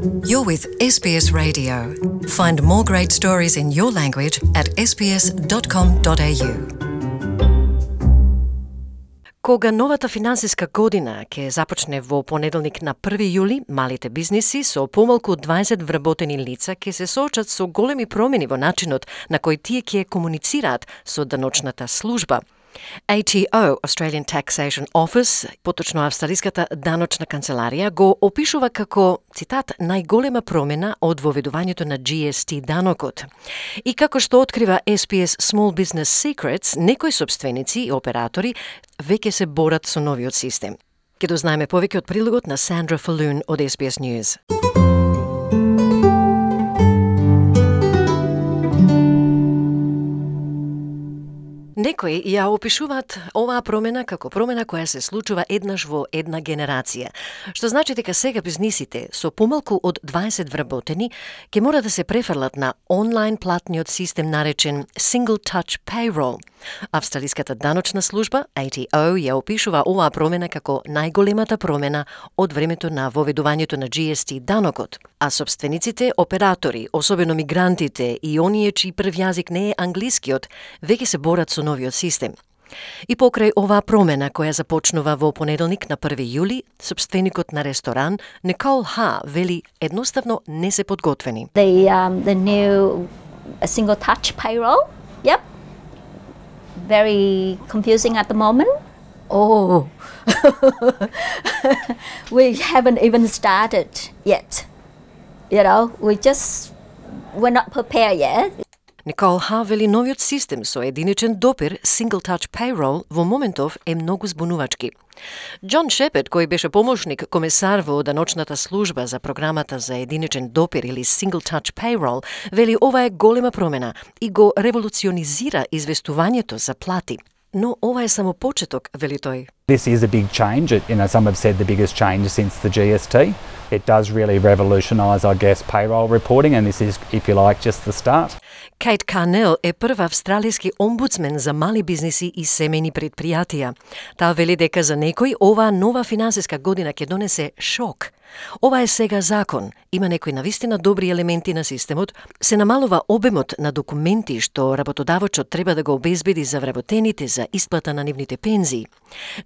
You're with SBS Radio. Find more great stories in your language at sbs.com.au. Кога новата финансиска година ќе започне во понеделник на 1 јули, малите бизниси со помалку од 20 вработени лица ќе се соочат со големи промени во начинот на кој тие ќе комуницираат со даночната служба. ATO, Australian Taxation Office, поточно австралиската даночна канцеларија, го опишува како, цитат, најголема промена од воведувањето на GST данокот. И како што открива SBS Small Business Secrets, некои собственици и оператори веќе се борат со новиот систем. Ке дознаеме повеќе од прилогот на Сандра Фалун од SBS News. Некои ја опишуваат оваа промена како промена која се случува еднаш во една генерација, што значи дека сега бизнисите со помалку од 20 вработени ќе мора да се префрлат на онлайн платниот систем наречен Single Touch Payroll. Австралиската даночна служба, ATO, ја опишува оваа промена како најголемата промена од времето на воведувањето на GST данокот, а собствениците, оператори, особено мигрантите и оние чиј прв јазик не е англискиот, веќе се борат со новиот систем. И покрај оваа промена која започнува во понеделник на 1 јули, собственикот на ресторан Никол Ха вели едноставно не се подготвени. The new single touch payroll, yep. Very confusing at the moment. Oh, we haven't even started yet. You know, we're not prepared yet. Никол Ха вели новиот систем со единичен допир Single Touch Payroll во моментов е многу збунувачки. Џон Шепет, кој беше помошник комесар во даночната служба за програмата за единичен допир или Single Touch Payroll, вели ова е голема промена и го револуционизира известувањето за плати. Но ова е само почеток, вели тој. This is a big change. Some have said the biggest change since the GST. It does really revolutionise, I guess, payroll reporting, and this is, if you like, just the start. Кейт Карнел е прв австралиски омбудсмен за мали бизниси и семејни предпријатија. Таа вели дека за некој оваа нова финансиска година ќе донесе шок. Ова е сега закон. Има некои навистина добри елементи на системот, се намалува обемот на документи што работодавачот треба да го обезбеди за вработените за исплата на нивните пензии.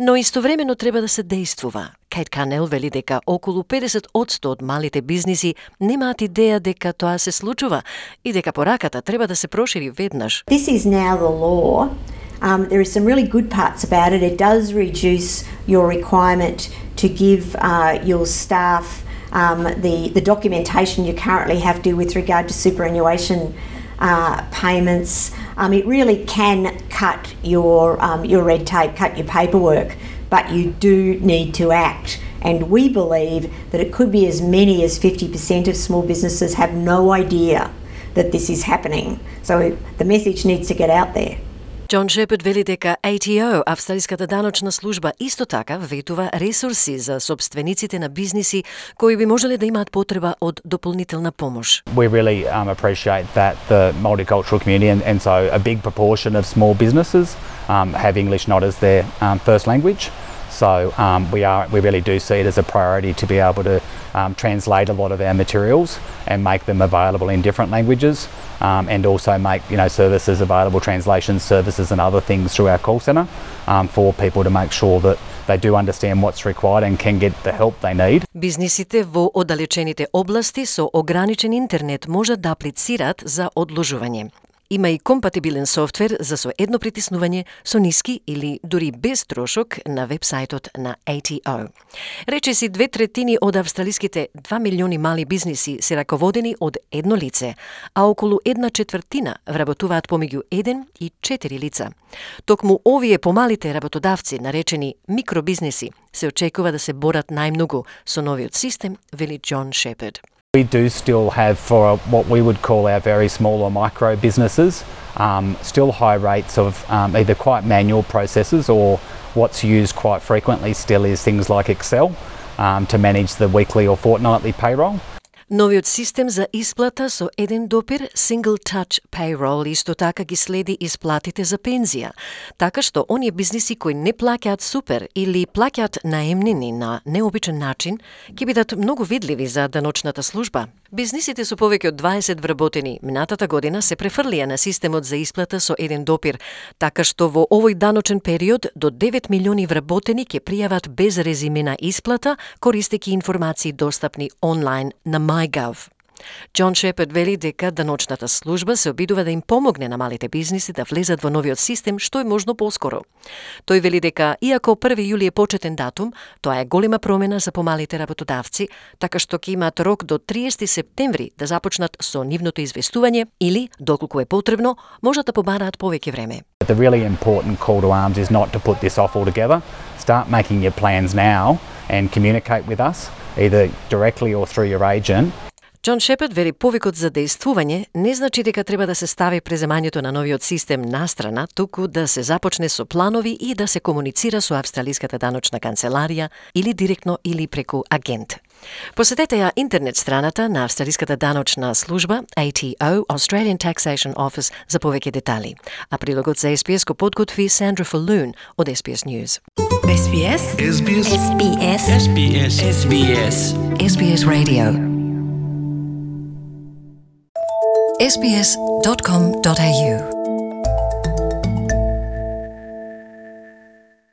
Но истовремено треба да се действува. Кейт Карнел вели дека околу 50% од малите бизниси немаат идеја дека тоа се случува и дека пораката треба да се прошири веднаш. This is now the law. There is some really good parts about it. It does reduce your requirement to give your staff the documentation you currently have to with regard to superannuation payments. It really can cut your red tape, cut your paperwork, but you do need to act. And we believe that it could be as many as 50% of small businesses have no idea that this is happening. So the message needs to get out there. Џон Шепет вели дека ATO, австралиската даночна служба, исто така ветува ресурси за собствениците на бизниси кои би можеле да имаат потреба од дополнителна помош. We really appreciate that the multicultural community and so a big proportion of small businesses have English not as their first language. So we really do see it as a priority to be able to translate a lot of our materials and make them available in different languages, and also make services available, translation services and other things through our call centre for people to make sure that they do understand what's required and can get the help they need. Бизнисите во оддалечените области со ограничен интернет можат да аплицираат за одложување. Има и компатибилен софтвер за со едно притиснување со ниски или дури без трошок на вебсајтот на ATO. Речиси 2/3 од австралиските 2 милиони мали бизниси се раководени од едно лице, а околу 1/4 вработуваат помеѓу 1 и 4 лица. Токму овие помалите работодавци, наречени микробизнеси, се очекува да се борат најмногу со новиот систем, вели Џон Шепет. We do still have, for what we would call our very small or micro businesses, still high rates of either quite manual processes or what's used quite frequently still is things like Excel to manage the weekly or fortnightly payroll. Новиот систем за исплата со еден допир, Single Touch Payroll, исто така ги следи исплатите за пензија, така што оние бизниси кои не плаќаат супер или плаќаат наемнини на необичен начин, ќе бидат многу видливи за даночната служба. Бизнисите со повеќе од 20 вработени минатата година се префрлија на системот за исплата со еден допир, така што во овој даночен период до 9 милиони вработени ќе пријават без резиме на исплата, користејќи информации достапни онлайн на MyGov. Џон Шепард вели дека даночната служба се обидува да им помогне на малите бизниси да влезат во новиот систем што е можно поскоро. Тој вели дека, иако 1 јули е почетен датум, тоа е голема промена за помалите работодавци, така што ќе имаат рок до 30 септември да започнат со нивното известување или, доколку е потребно, можат да побараат повеќе време. The really important call to arms is not to put this off altogether. Start making your plans now and communicate with us, either directly or through your agent. Џон Шепард вели повикот за дејствување не значи дека треба да се стави преземањето на новиот систем настрана, туку да се започне со планови и да се комуницира со Австралиската даночна канцеларија или директно или преку агент. Посетете ја интернет страната на Австралиската даночна служба ATO, Australian Taxation Office, за повеќе детали. А прилогот за SBS го подготви Сандра Фалун од SBS News. SBS SBS SBS SBS SBS SBS Radio. SBS.com.au